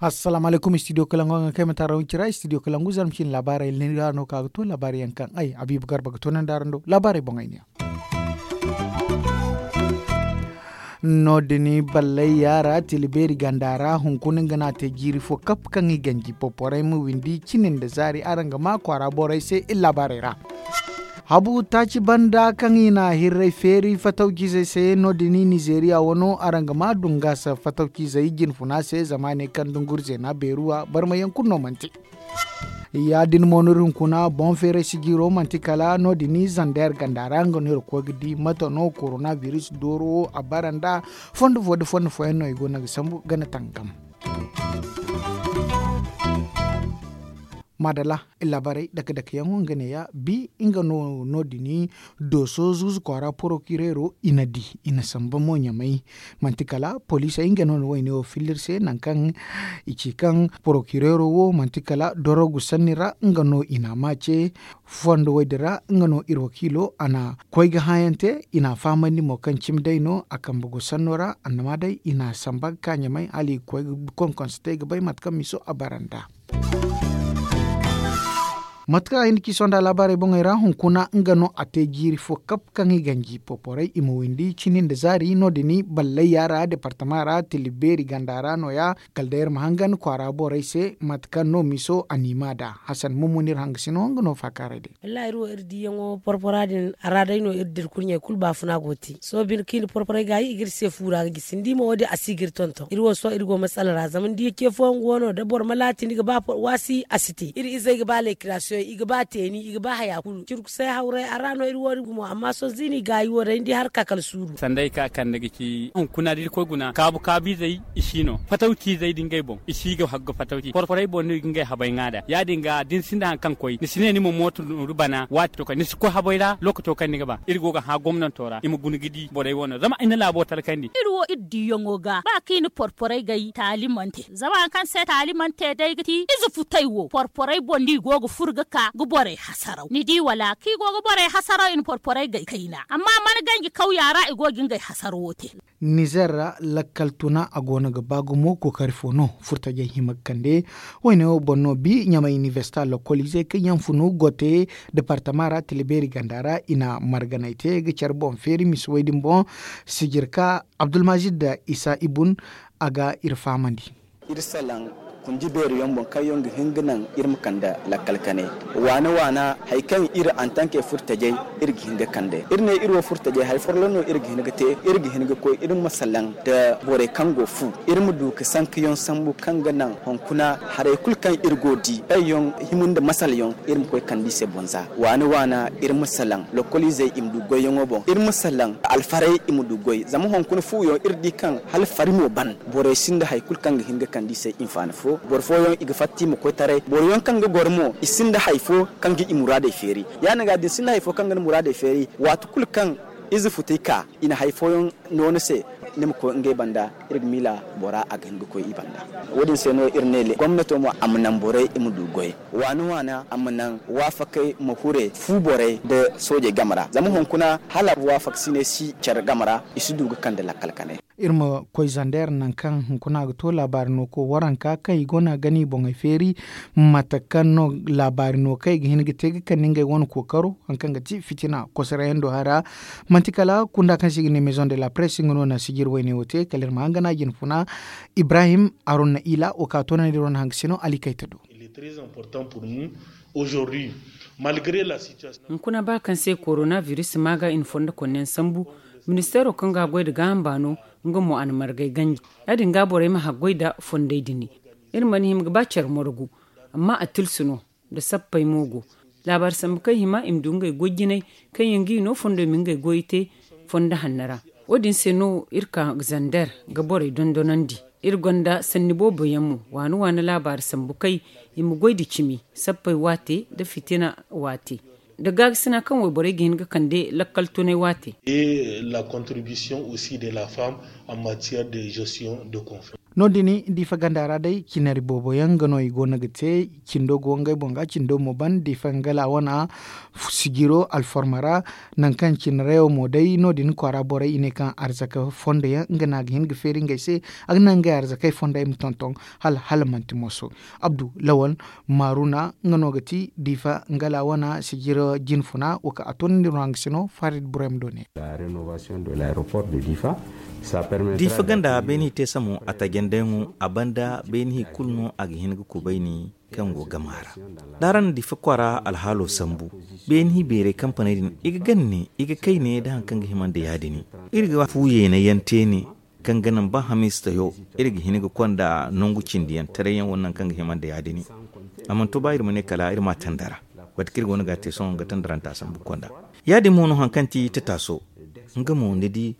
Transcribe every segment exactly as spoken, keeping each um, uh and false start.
Assalaamu alaykum, studio kalangu a ga kay mate a ra wancira studio kalangu zarma cine laabaarey lin ra no ka ga to laabaarey yaŋ kaŋ ay habiibu garba ga to naŋ da araŋ do laabaarey boŋ ay ne. No- din ballay yaara tila beeri ganda ra hunkuna nga no a te jiiri fo kap kaŋ i ganji poporey ma windi cine nda zaari araŋ ga ma kwaara borey se iri laabaarey ra. Habu taaci banda kaŋ i na hirray feeri fatawcizey se no- din nizeeriya wano araŋ ga ma dungaasa fatawcizey jinfuna se zama a ne kaŋ dunguri zeena beeruwa barmayaŋ kulu no manti. Ya- din mo no iri hunkuna boŋ feeray sijiro manti kala no- din zandeer ganda ra nga no iri koy ga di mate no korona biris dooro wo a bara nda fondo fo nda fondo fooyaŋ no i go no ga sambu gana tangam. Maadala, laabaarey dake dake yaŋo nga neeya bi nga no no- din dooso zuuzu kwaara porokireero i na di i na samba mo ɲamay. Manti kala poliisey nga no na wayne wo filla iri se nangu kaŋ i ci kaŋ porokireero wo manti kala dorogu sanni ra nga no i na a maace. Fondo wo- din ra nga no iri wakiilo a na koy ga hããyaŋ te i na a fahamandi mo kaŋ cimi day no a kambe go sanno ra annama day i na a samba ga ka ɲamay hala i ga koy ga konkonsate ga bay mate kaŋ miso a bara nd'a. Mate kaŋ a hin da ci sonda laabaarey boŋey ra hunkuna nga no a te jiiri fo kap kaŋ i ganji poporey i ma windi cini nda zaari no- din ballay yaara departama ra tilibeeri ganda ra nooya kala day iri ma hangan kwaara borey se mate kaŋ no miso a n'i maa nd'a. Hasan mummu no iri hangasino nga no faakaaray day. Wallaahi iri wo iri diiyaŋo porpora din a ra day no iri dira kurɲey kulu baafuna go te sohõ bine kaŋ i na porporay gaayi i ga iri se fuura ga gisi ni di mo wo- din a si ga iri tonton iri wo sohõ iri go masala ra zama ni di ce fooyaŋ go no da boro ma laati ni ga ba waasi a si te iri izey ga ba leekirasiyoŋ i ga ba teeni i ga ba haya kulu cirkusay hawray a ra no iri wo- din gumo amma sohõ ziini gaayi wo day ni di har ka kala suuru. Sanda ay ka kande ga ci hunkuna da irkoy guna kaabu kaabiizey i si no fatawciizey da ngey boŋ i si ga hagga fatawci porporey boŋ no i ga ngey habay ŋwa nd'a ya- din ga da ni sinda hari kaŋ koy ni si ne ni ma mooto nooru bana waati to kaŋ ni si koy habay ra lookaco kaŋ ni ga ba iri go ga hã gomnanto ra i ma guna ga di borey wo no zama i na laabo talkandi. Iri wo iri diiyaŋo ga ba kaŋ i na porporey gay taalimante zama hari kaŋ se taalimante day ga ti ize futay wo porporey boŋ no i go ga furo ga ka ga borey hasaraw ni di wala kaŋ i go ga borey hasaraw i na porporey gay kayna amma mana ganji kawya ra i go ga ngey hasarawo te. Nizer ra lakkal tuna a go no ga ba gumo kookari fo no furtajey hima ga kande. Wayne wo boŋ no bi ɲamay inibersita lokoliizey kaŋ yaŋ funu gote departama ra tila beeri ganda ra i na marganay te ga care boŋ feeri misa way din boŋ. Sijirka abdulmazid da isa ibun a ga iri fahamandi. Iri salaŋ kundi beeri yaŋ boŋ kaŋ yaŋ ga hin ga naŋ iri ma kande lakkal kanay waana waana hari kaŋ iri antanke furtajey iri ga hin ga kande iri ne iri wo furtajey hari folloŋ no iri ga hin ga te iri ga hin ga koy iri ma salaŋ nda borey kaŋ go fu iri ma du ga sankayaŋ sambu kaŋ ga naŋ hunkuna haray kulu kaŋ iri go di kaŋ yaŋ hima nda masal yaŋ iri ma koy kande i se bonza waana waana iri ma salaŋ lokoliizey i ma du goyyaŋo boŋ iri ma salaŋ alfarey i ma du goy zama hunkuna fuwo yaŋ iri di kaŋ hala fari mo ban borey sinda hari kulu kaŋ ga hin ga kande i se hinfaani fo boro fooyaŋ i ga fatta i ma koy taray boro yaŋ kaŋ ga goro mo i sinda hari fo kaŋ ga i muraadey feeri ya- din ga da ni sinda hari fo kaŋ ga ni muraadey feeri waati kulu kaŋ ize futay ka i na hari fooyaŋ no ni se ni ma koy ngey banda iri ga miila bora a ga hin ga koy i banda wo- din se no iri ne gomnato mo a ma naŋ borey i ma du goy waana waana a ma naŋ waafakey ma hure fu borey nda soojey game ra zama hunkuna hala waafaksiney si care game ra i si du ga kande lakkal kanay. Iri ma koy zander nangu kaŋ hunkuna ga to laabaari no ko waranka kaŋ i go no a gana i boŋey feeri mate kaŋ no laabaari no kaŋ i ga hin ga te ga kande ngey wane kookaro hari kaŋ ga ti fitina kosarayaŋ do hara manti kala kunda kaŋ se i ga ne maison de la presse nga no na sijiri wayne wo te kala iri ma hangana jinfuna. Ibrahim aronna ila wo ka toonandi iri wane hangasino ali kayta do. Hunkuna ba kaŋ se korona biris maaga i na fondo konneyaŋ sambu ministeero kaŋ ga a goy nda gaaham baano nga mo a na margay ganji ya- din ga borey ma haggoy nda fondey din. Iri mana hima ga ba care morgu amma a tilsu no nda sappey mo go laabaari sambu kaŋ hima i ma du ngey goy jinay kaŋ yaŋ ga i no fondo i ma ngey goyey te fondo hanno ra. Wo- din se no iri ka zander ga borey dondonandi iri gonda sanni boobo yaŋ mo waani waani laabaari sambu kay i ma goy nda cimi sappey waate nda fitina waate nda gaakasina kaŋ wayborey ga hin ga kande lakkal tunay waate. Et la contribution aussi de la femme en matière de gestion de conflit. No- din diifa ganda ra day cinari boobo yaŋ nga no i go no ga te. Cindo go ngey boŋ ga cindo mo ban diifa nga laawana sijiro alforma ra. Nangu kaŋ cinarayo mo day no- din kwaara borey i ne kaŋ arzaka fondo yaŋ nga no a ga hin ga feeri ngey se. A ga naŋ ngey arzakey fonda i ma tonton hala hala manti moso. Abdu lawal maaruna nga no ga ti diifa nga laawana sijiro jinfuna wo kaŋ a toonandi no haŋ ga sino farid burem do ne. Diifa ganda beeni i te samo a tajendeyaŋo a banda beeni i kulu no a ga hin ga kubayni kaŋ go gama ra. Da araŋ na diifa kwaara alhaalo sambu beeni i beeray kampaney din i ga gande i ga kayne da hari kaŋ ga hima nda ya- din. Iri ga fu yeena yaŋ te ne kaŋ ga naŋ ba hamiistayo iri ga hin ga konda nangu cindi yaŋ taray yaŋ wo naŋ kaŋ ga hima nda ya- din. A mana to ba iri ma ne kala iri ma a tandara. Mate kaŋ iri go no ga a te sohõ ga tandaranta sambu konda ya- din mo no hari kaŋ ti tataaso. Nga mo ni di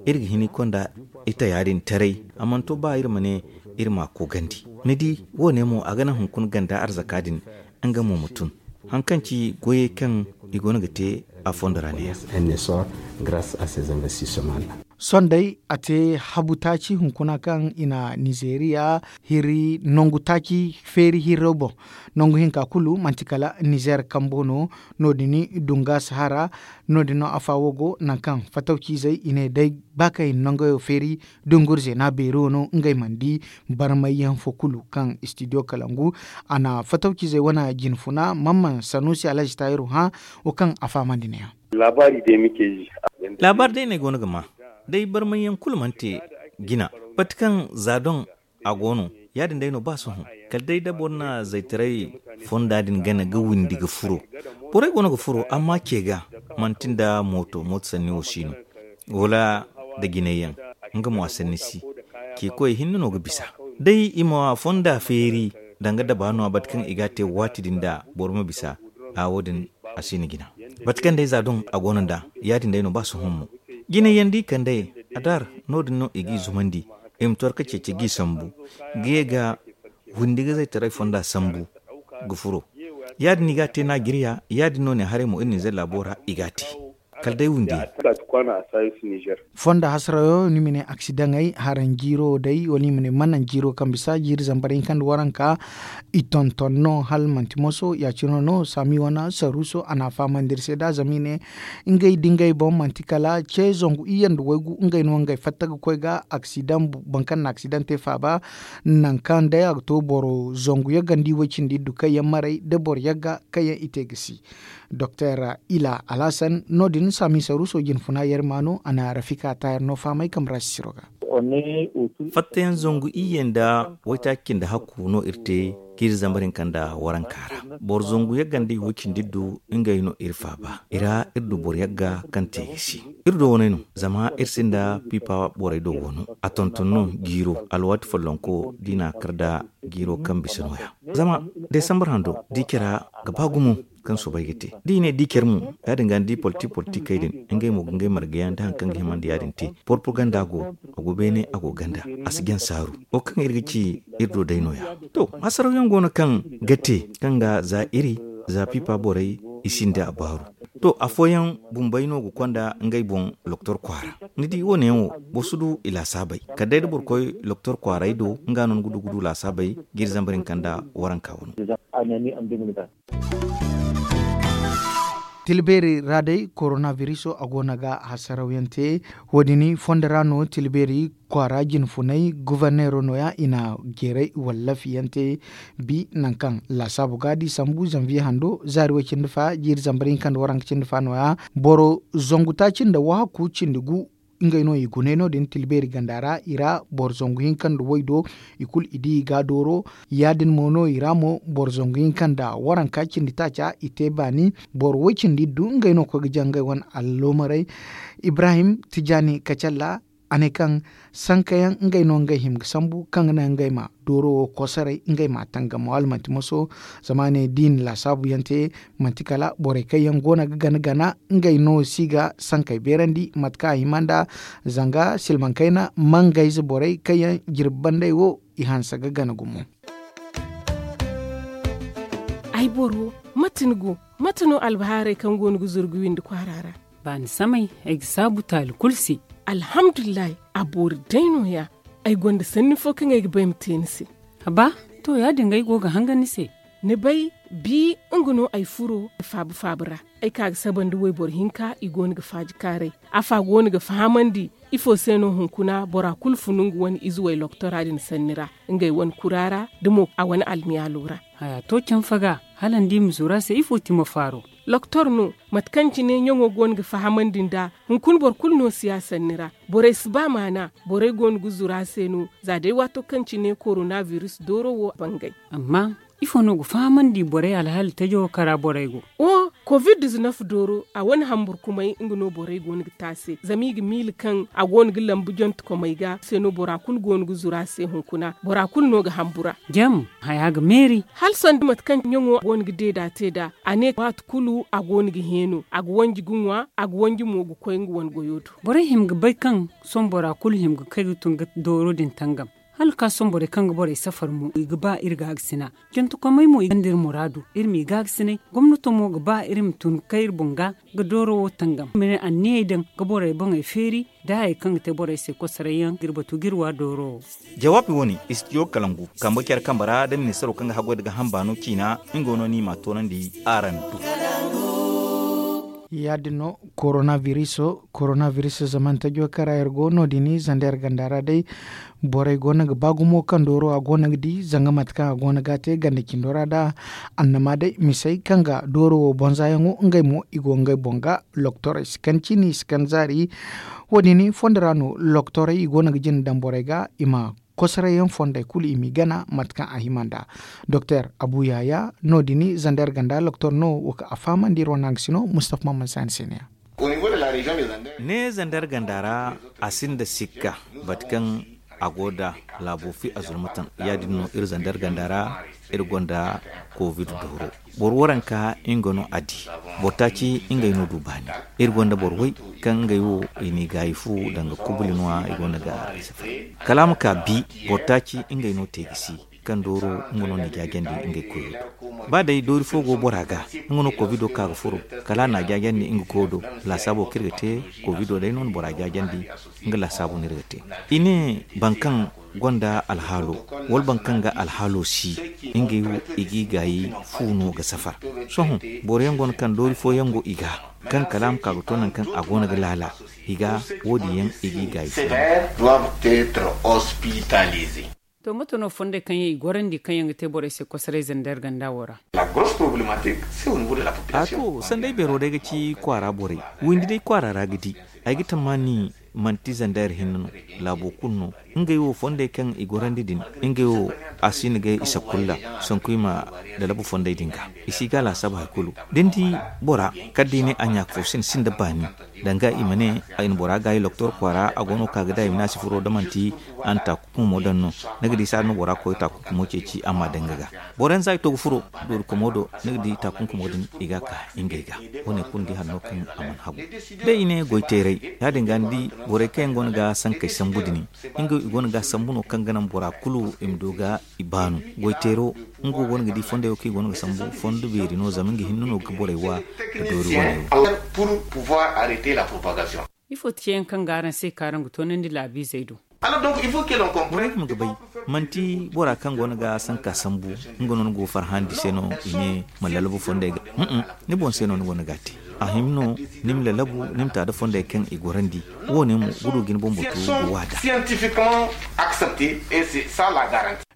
iri ga hin ga konda ita ya- din taray. A mana to ba iri ma ne iri ma a koogandi. Ni di wo- ne mo a ga naŋ hunkuna ganda arzaka din nga mo ma tun. Hari kaŋ ci goyey kaŋ i go no ga te a fondo ra ne- ya. Sohõ day a te habu taaci hunkuna kaŋ i na nizeeriya hiri nangu taaci feeri hirro boŋ. Nangu hinka kulu manti kala nizeer kambo no. No- din dunga sahara no- din no afa wo go nangu kaŋ fatawciizey i ne day ba kaŋ i na nangayo feeri dungurze no a beeri wo no ngey mana di. Barmayyaŋ fo kulu kaŋ istidiyo kalangu a na fatawciizey wane jinfuna mamman sanusi alhazi taayiru hã wo kaŋ a fahamandi ne- ya. Laabaari day no ay go no ga ma day barmayyaŋ kulu mana te jina. Bate kaŋ za doŋ a go no ya- din day no ba sohõ kala day da boro na zaytaray fonda din gana ga windi ga furo. Borey go no ga furo amma ce ga manti nda mooto mooto sanni wo si no wala nda jinayyaŋ. Nga mo a sanni si ce koy hinne no ga bisa day i ma fonda feeri danga daba no a bate kaŋ i ga a te waati din da boro ma bisa. A wo- din a si na jina bate kaŋ day za doŋ a go no nd'a ya- din day no ba sohõ mo. Jinayyaŋ da i kandey a daar no- din no i g'i zumandi i ma torka ceeci g'i sambu ga ye ga windi ga zaytaray fonda sambu ga furo. Ya- din i ga a te naajiriya ya- din no ne haray mo iri nizer laabo ra i ga a te kala day windi yaŋ. Fonda hasarayo no i ma ne aksidaŋey haraŋ jiiro day wala i ma ne manaŋ jiiro kaŋ bisa jiiri zambar hinka nda waranka. I tonton no hala manti moso ya- cine no saami wane saruuso a na a fahamandi iri se nd'a zama i ne ngey da ngey boŋ manti kala ce zangu iyye nda waygu ngey no ngey fatta ga koy ga aksidaŋ boro kaŋ na aksidaŋ te faaba. Nangu kaŋ day a ga to boro zangu yagga nda i way cindi iddu kaŋ yaŋ maray da boro yagga kaŋ yaŋ i te ga si. Doktor ila alhasan no- din saami saruuso jinfuna yarma no a na rafika taayar no fahamay kambe ra sisiro ga. Fattayaŋ zangu iyye nda waytaaci cindi hakku no iri te jiiri zambar hinka nda waranka ra. Boro zangu yagga nda i way cindi iddu ngey no iri faaba i ra iri du boro yagga kaŋ te ga si. Iri do wane no zama iri sinda pipa borey do wano a tonton no jiiro alwaati follonko da i na a kar nda jiiro kaŋ bisa no- ya. Zama desambar hando da i care ra ga ba gumo kaŋ soobay ga te da i ne da i care mo ya- din ga ni di politik politikey din ngey mo ga ngey marga yaŋ da hari kaŋ ga hima nda ya- din te. Porpaganda go a go beene a go ganda a si jaŋ saaru wo kaŋ iri ga ci iri do day no- ya. To hasaraw yaŋ go no kaŋ ga te kaŋ ga za iri za pipa borey i sinda a baaru. To afooyaŋ bumbey no ga konda ngey boŋ loktor kwaara. Ni di wo- ne yaŋ wo boro si du i laasaabey kala day da boro koy loktor kwaaray do nga no ni ga du ga du laasaabey jiiri zambar hinka nda waranka wano. Tilbeeri ra day korona biriso a go no ga hasaraw yaŋ te. Wo- din fondo ra no tilbeeri kwaara jinfunay goforneero no- ya i na jeeray wallafi yaŋ te. Bi nangu kaŋ laasaabu ga da i sambu zanviye hando zaari way cindi fa jiiri zambar hinka nda waranka cindi fa no- ya boro zangu taaci nda wahakku cindi gu. Ngey no i gune no- din tilbeeri ganda ra i ra boro zangu hinka nda way do i kulu i di i ga dooro. Ya- din mo no i ra mo boro zangu hinka nda waranka cindi taaca i te baani. Boro way cindi iddu ngey no koy ga jaŋ ngey wane alloomaray. Ibrahim tijani kacalla a ne kaŋ sankayaŋ ngey no ngey hima ga sambu kaŋ ga naŋ ngey ma dooro wo kosoray ngey ma a tangam wala manti moso. Zama a ne da i na laasaabu yaŋ te manti kala borey kaŋ yaŋ go no ga gana gana ngey no si ga sankey beerandi mate kaŋ a hima nda zanga silmaŋ kayna mangayze borey kaŋ yaŋ jirbi bandey wo i hanse ga gana gumo. Ay boro, mate ni go? Mate no albahaarey kaŋ go no ga zuru ga windi kwaara ra? Baani samay ay ga saabu taali kulu se. Alhamdulillahi, a boori day no- ya. Ay gonda sanni fo kaŋ ay ga ba ay ma te ni se. Haba, to, ya- din ga ay go ga hangan ni se. Ni bay, bi nga no ay furo faabu faabu ra. Ay ka ga saba nda wayboro hinka, i go no ga faaji kaaray. Afa go no ga fahamandi ifo se no hunkuna bora kulu funu nga wane ize way loktora din sanni ra, ngey wane kura ra, da mo a wane almiyaalo ra. Haya to canfa ga, hala ni di ma zuru a se ifo ti ma faaro? Loktor no, mate kaŋ cine ɲaŋo go no ga fahamandi nd'a. Hunkuna boro kulu no si ya sanni ra. Borey si ba maana. Borey go no ga zuru a se no, za day waato kaŋ cine korona biris dooro wo bangay. Amma ifo no ga fahamandi borey alhaali tajo kara borey go? O, kovid dizinef dooro, a wane hamburkumay nga no borey go no ga te a se, zama i ga miila kaŋ a go no ga lambu jantekomey ga se no bora kulu go no ga zuru a se hunkuna, bora kulu no ga hambura. Jam, haya ga meeri. Hala sanda mate kaŋ ɲaŋo go no ga deeda te nd'a, a ne waati kulu a go no ga heeno, a ga wanji ga ŋwa, a ga wanji mo ga koy nga wane goyo do. Borey hima ga bay kaŋ sohõ bora kulu hima ga kay ga tun ga dooro din tangam. Hala ka sohõ borey kaŋ ga borey safar mo, i ga ba iri gaagasina. Jantekomey mo, i gonda iri muraadu, iri m'i gaagasinay. Gomnato mo ga ba iri ma tun ga kay iri boŋ ga, ga dooro wo tangam. Ma ne anniyey daŋ ga borey boŋey feeri, da hayey kaŋ ga te borey se kosoray yaŋ ga iri batu ga iri wa dooro wo. Jawaabi wo-ne, istidiyo kalangu kambe care kambe ra da ministaro kaŋ ga haggoy nda ga hamba no ciina, nga no ni m'a toonandi araŋ do. Ya- din no, korona biriso korona biriso zamanta jookara iri go no- din zanda iri ganda ra day. Borey go no ga ba gumo kaŋ dooro a go no ga di zanga mate kaŋ a go no ga a te ganda cindo ra da annama day misey kaŋ ga dooro wo bonza yaŋo ngey mo i go ngey boŋ ga. Loktorey si kan ciini si kan zaari. Wo- din fondo ra no loktorey i go no ga jina daŋ borey ga i ma kosoray yaŋ fondey kulu i m'i gana mate kaŋ a hima nd'a. Doktor abu yaya no- din zanda iri ganda loktor no wo kaŋ a fahamandi iri wane hangasino mustafa maman saani se ne ya. Ne zandar ganda ra, a sinda sikka bate kaŋ a go nda laabo fi a zurmatan. Ya- din no iri zandar ganda ra, iri gonda kovid dooro. Boro waranka nga no a di. Boro taaci ngey no du baani. Iri gonda boro way kaŋ ngey wo i n'i gaayi fu danga kubuli no- ya i gonda ga safari. Kala a ma ka bi, boro taaci ngey no te gisi kaŋ dooro nga no n'i jaajandi ngey koyo do. Ba day doori fo go bora ga, nga no kovido ka ga furo, kala a n'a jaajandi nga koyo do. Laasaabo kaŋ iri ga te, kovido day no na bora jaajandi. Nga laasaabo no iri ga te. I ne boro kaŋ gonda alhaalo, wala boro kaŋ ga alhaalo si, ngey wo i g'i gaayi fu no ga safar. Sohõ boro yaŋ go no kaŋ doori fo yaŋ go i ga, kaŋ kala a ma ka ga to nangu kaŋ a go no ga laala, i ga wo- din yaŋ i g'i gaayi fu. To mato no fondey kaŋ yaŋ i gorandi kaŋ yaŋ ga te borey se kosoray zandar ganda wo ra? A to sanday beero day ga ci kwaara borey. Windi day kwaara ra ga di. Ay ga tammaani manti zandar hinne no. Laabo kulu no. Ngey wo fondey kaŋ i gorandi din, ngey wo a si na ga isa kulla. Sanku i ma lalabu fondey din ga, i si ga laasaabu hari kulu. Da ni di bora kala da i ne a ɲaaka fo sinda sinda baani. Danga i ma ne, ay na bora gaayi loktor kwaara a go no ka ga da i ma ne a si furo da manti a na taakunkumo daŋ no. Ni ga di saada no bora koy taakunkumo ceeci a ma daŋ nga ga. Boro yaŋ za i to ga furo doori komo do, ni ga di taakunkumo din i ga ka ngey ga. Wo- ne kulu ni di hari no kaŋ a mana hagu. Da i ne goy teeray, ya- din ga ni di borey kaŋ yaŋ go no ga sankey sambu din, ngey i go no ga sambu no kaŋ ga naŋ bora kulu i ma du ga i baanu. Goy teero, nga wo go no ga di fondey wo kaŋ i go no ga sambu fondo beeri no zama nga hinne no ga borey wa. Da doori wane wo. Ifo ti ceeyaŋ kaŋ ga araŋ se ka araŋ ga toonandi laabiizey do? Borey ma ga bay, manti bora kaŋ go no ga sanka sambu, nga no ni go farhandi se no i ne ma lalabu fondey ga. Ni boŋ se no ni go no ga a te. A hima no ni ma lalabu, ni ma ta da fondey kaŋ i gorandi. Wo- ne mo ga du ga ni boŋ batu ga waada.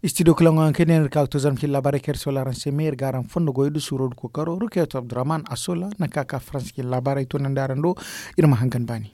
Istidiyo kalaŋo yaŋ kaŋ i ne iri ka ga to zarma cine laabaarey kaŋ iri soola araŋ se me iri ga araŋ fondo goyo da suuro da kookaro rukeeto abdurrahman a soola nangu kaŋ a ka faransa cine laabaarey toonandi araŋ do. Iri ma hangan baani.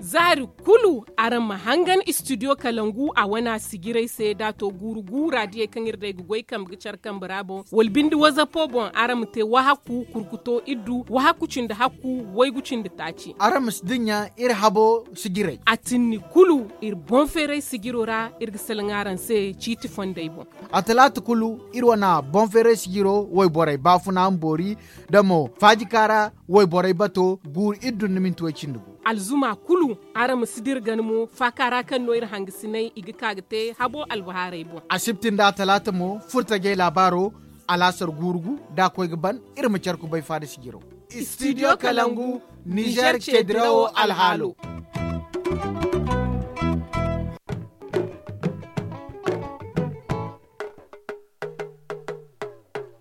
Zaari kulu araŋ ma hangan istidiyo kalangu a wana sijirey se da a to guuru guura diyey kaŋ iri day ga goy kambe ga care kambe ra boŋ wala binde wazapo boŋ araŋ ma te wahakku kurkuto iddu wahakku cindi hakku waygu cindi taaci. Araŋ ma si dinya iri habo sijirey. A tinni kulu iri boŋ feeray sijiro ra iri ga salaŋ araŋ se ciiti fondey boŋ. A talaata kulu iri wana boŋ feeray sijiro wayborey baafuna ma boori da mo faajika ra wayborey bato guuru iri dun ni minti way cindi gu. Alzuma kulu araŋ ma si dira gana mo faaka ra kaŋ no iri hangasinay i ga ka ga te habo albahaarey boŋ. Asibti nda talaata mo furtajey laabaaro alaasar guuru gu da a koy ga ban iri ma care kubay faada sijiro. Istidiyo kalangu nizer ceedirawo alhaalo.